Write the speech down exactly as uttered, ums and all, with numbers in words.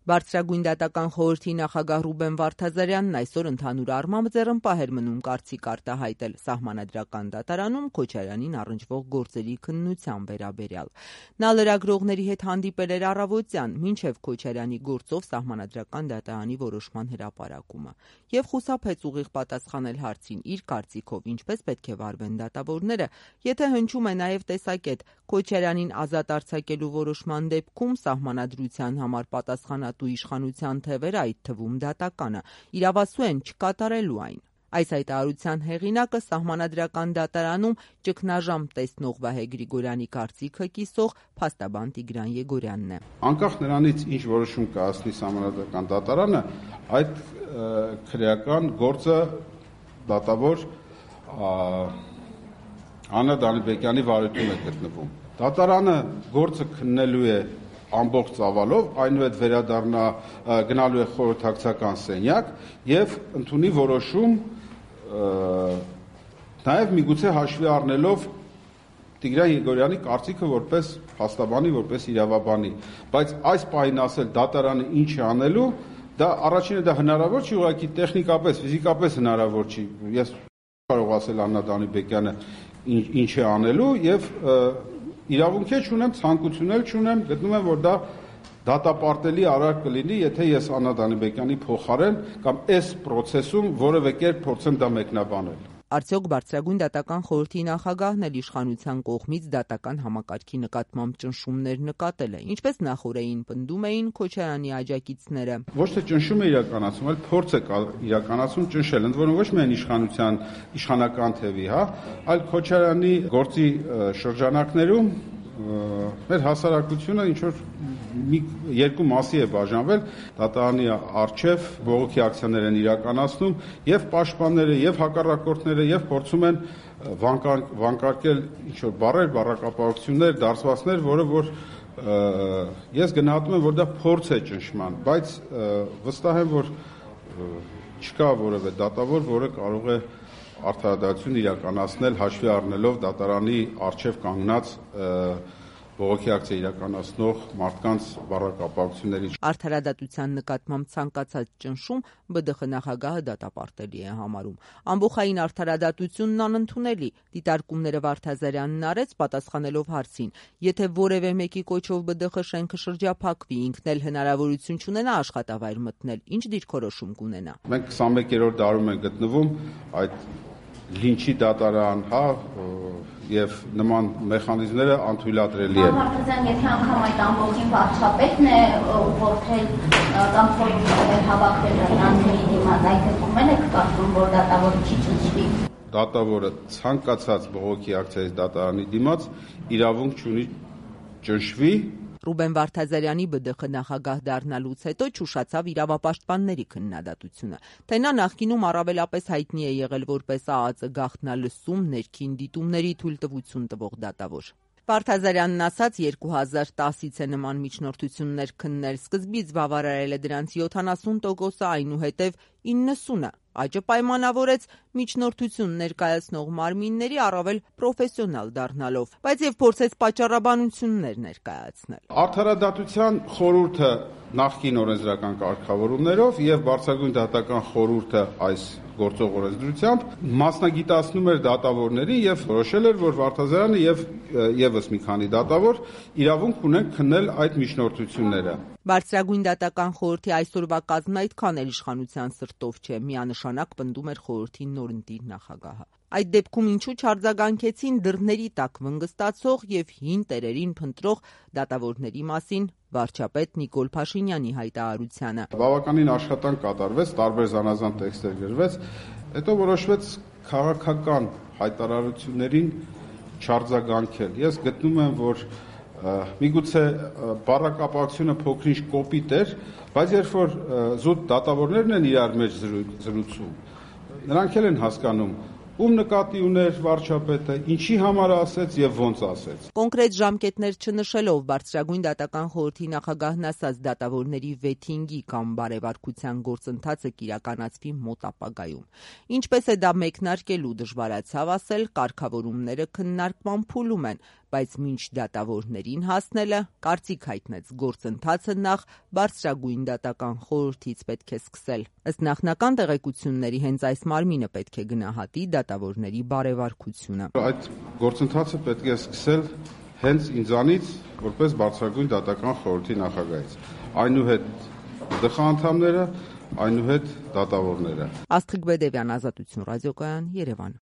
Բարձրագույն դատական խորհրդի նախագահ Ռուբեն Վարդազարյանն այսօր ընդհանուր առմամբ ձեռնպահ էր մնում կարծիք արտահայտել Սահմանադրական դատարանում Քոչարյանին առնչվող գործերի քննության վերաբերյալ։ Նա լրագրողների հետ հանդիպել էր առավոտյան, մինչև Քոչարյանի գործով Սահմանադրական դատարանի որոշման հրապարակումը, եւ խուսափեց ուղիղ պատասխանել հարցին իր կարծիքով ինչպես պետք է վարվեն դատավորները, եթե հնչում է նաեւ տեսակետ Քոչարյանին ազատ արձակելու որոշման դեպքում Սահմանադրության համար պատասխանատու իշխանության թևերը, այդ թվում դատականը, իրավասու են չկատարելու այն։ Այս հայտարարության հեղինակը Սահմանադրական դատարանում ճգնաժամ տեսնող Վահե Գրիգորյանի կարծիքը կիսող փաստաբան Տիգրան Եգորյանն է։ Անկախ նրանից, ինչ որոշում կայացնի Սահմանադրական դատարանը, այդ քրեական գործը դատավոր Աննա Դանիբեկյանի վարույթում է գտնվում։ Դատարանը գործը քննելու է ամբողջ ծավալով, այնուհետ վերադառնա գնալու է խորհրդակցական սենյակ եւ ընդունի որոշում նաեւ միգուցե հաշվի առնելով Տիգրան Եգորյանի կարծիքը որպես փաստաբանի, որպես իրավաբանի, բայց այս պահին ասել դատարանը ինչ է անելու, դա առաջինը դա հնարավոր չի, ուղղակի տեխնիկապես, ֆիզիկապես հնարավոր չի։ Ես կարող ասել Աննա Դանիբեկյանը ինչ է անելու եւ իրավունք է չունեմ, ցանկություն էլ չունեմ, գտնում եմ, որ դա դատապարտելի արարք կլինի, եթե ես Աննա Դանիբեկյանի փոխարեն կամ այս process-ում որևէ կերպ փորձեմ դա մեկնաբանել։ Արդյոք Բարձրագույն դատական խորհրդի նախագահն էլ իշխանության կողմից դատական համակարգի նկատմամբ ճնշումներ նկատել է, ինչպես նախորդին պնդում էին Քոչարյանի աջակիցները։ Ոչ թե ճնշում է իրականացում, այլ փորձ է իրականացում ճնշել, ընդ որում ոչ միայն իշխանության իշխանական թևի, հա, այլ Քոչարյանի գործի շրջանակներում մեր հասարակությունը ինչ որ մի երկու մասի է բաժանվել, դատարանի առջև բողոքի ակցիաներ են իրականացնում եւ պաշտպանները եւ հակառակորդները եւ փորձում են վանկարկել ինչ որ բառեր, բառակապակցություններ, դարձվածներ, որը որ ես գնահատում եմ, որ դա փորձ է ճնշման, բայց վստահ եմ, որ չկա որևէ դատավոր, որը կարող է արդարադատություն իրականացնել հաշվի առնելով դատարանի առջև կանգնած բողոքի ակցիա իրականացնող մարդկանց բառակապակցությունների։ Արդարադատության նկատմամբ ցանկացած ճնշում Բ Դ Խ նախագահը դատապարտելի է համարում։ Ամբողջային արդարադատությունն անընդունելի, դիտարկումները Վարդազարյանն արեց պատասխանելով հարցին, եթե որևէ մեկի կոչով Բ Դ Խ շենքը շրջափակվի, ինքն էլ հնարավորություն չունենա աշխատավայր մտնել, ինչ դիրքորոշում կունենա։ Մենք քսանմեկերորդ դարում ենք գտնվում, այդ լինչի դատարան, հա, եւ նման մեխանիզմները անթույլատրելի են։ Վարդազարյան, եթե անգամ այդ ամբողջին վարչապետն է որդել կամ փորձել հավաքվել նրանցերի դիմաց, այդ դեպքում եք կարծում, որ դատավորը չի ճնշվի։ Դատավորը ցանկացած բողոքի ակցիայից դատարանի դիմաց իրավունք չունի ճնշվի։ Ռուբեն Վարդազարյանի Բ Դ Խ նախագահ դառնալուց հետո չուշացավ իրավապաշտպանների քննադատությունը, թե նա նախկինում առավելապես հայտնի է եղել որպես ԱԱԾ գաղտնալսում, ներքին դիտումների թույլտվություն տվող դատավոր։ Վարդազարյանն ասաց երկու հազար տասից է նման միջնորդություններ քննել, սկզբից բավարարել է դրանց յոթանասուն տոկոսը, այնուհետև իննսունը, աճը պայմանավորեց միջնորդություն ներկայացնող մարմինների առավել պրոֆեսիոնալ դառնալով, բայց եւ փորձեց պատճառաբանություններ ներկայացնել։ Արդարադատության խորհուրդը նախկին օրենսդրական կարգավորումներով եւ Բարձրագույն դատական խորհուրդը այս գործող օրենսդրությամբ մասնագիտացնում էր դատավորներին եւ որոշել էր, որ Վարդազարյանը եւ եւս մի քանի դատավոր իրավունք ունեն քննել այդ միջնորդությունները։ Բարձրագույն դատական խորհրդի այսօրվա կազմը այդքան էլ իշխանության սրտով չէ, միանշանակ պնդում էր խորհրդի նորընտիր նախագահը։ Այդ դեպքում ինչու չարձագանքեցին դռների տակ վնգստացող եւ հին տերերին փնտրող դատավորների մասին վարչապետ Նիկոլ Փաշինյանի հայտարարությանը։ Բավականին աշխատանք կատարվեց, տարբեր զանազան տեքստեր գրվեց, հետո որոշվեց քաղաքական հայտարարություններին չարձագանքել։ Ես գտնում եմ, որ միգուցե բառակապակցությունը փոքրինչ կոպիտ էր, բայց երբ որ զուտ դատավորներն են իրար մեջ զրուցում, նրանք էլ են հասկանում, ում նկատի ուներ վարչապետը, ինչի համար ասեց եւ ոնց ասեց։ Կոնկրետ ժամկետներ չնշելով Բարձրագույն դատական խորհրդի նախագահն ասաց դատավորների վեթինգի կամ բարեվարկության գործընթացը կիրականացվի մոտ ապագայում։ Ինչպես է դա մեկնարկելու դժվարացավ ասել, կարգավորումները քննարկման փուլում են, բայց մինչ դատավորներին հասնելը, կարծիք հայտնեց, գործընթացը նախ բարձրագույն դատական խորհրդից պետք է սկսել։ Ըստ նախնական տեղեկությունների հենց այս մարմինը պետք է գնահատի դատավորների բարեվարկությունը։ Այդ գործընթացը պետք է սկսել հենց ինձանից, որպես բարձրագույն դատական խորհրդի նախագահից, այնուհետ դխաանդամները, այնուհետ դատավորները։ Աստղիկ Բեդևյան, Ազատություն ռադիոկայան, Երևան։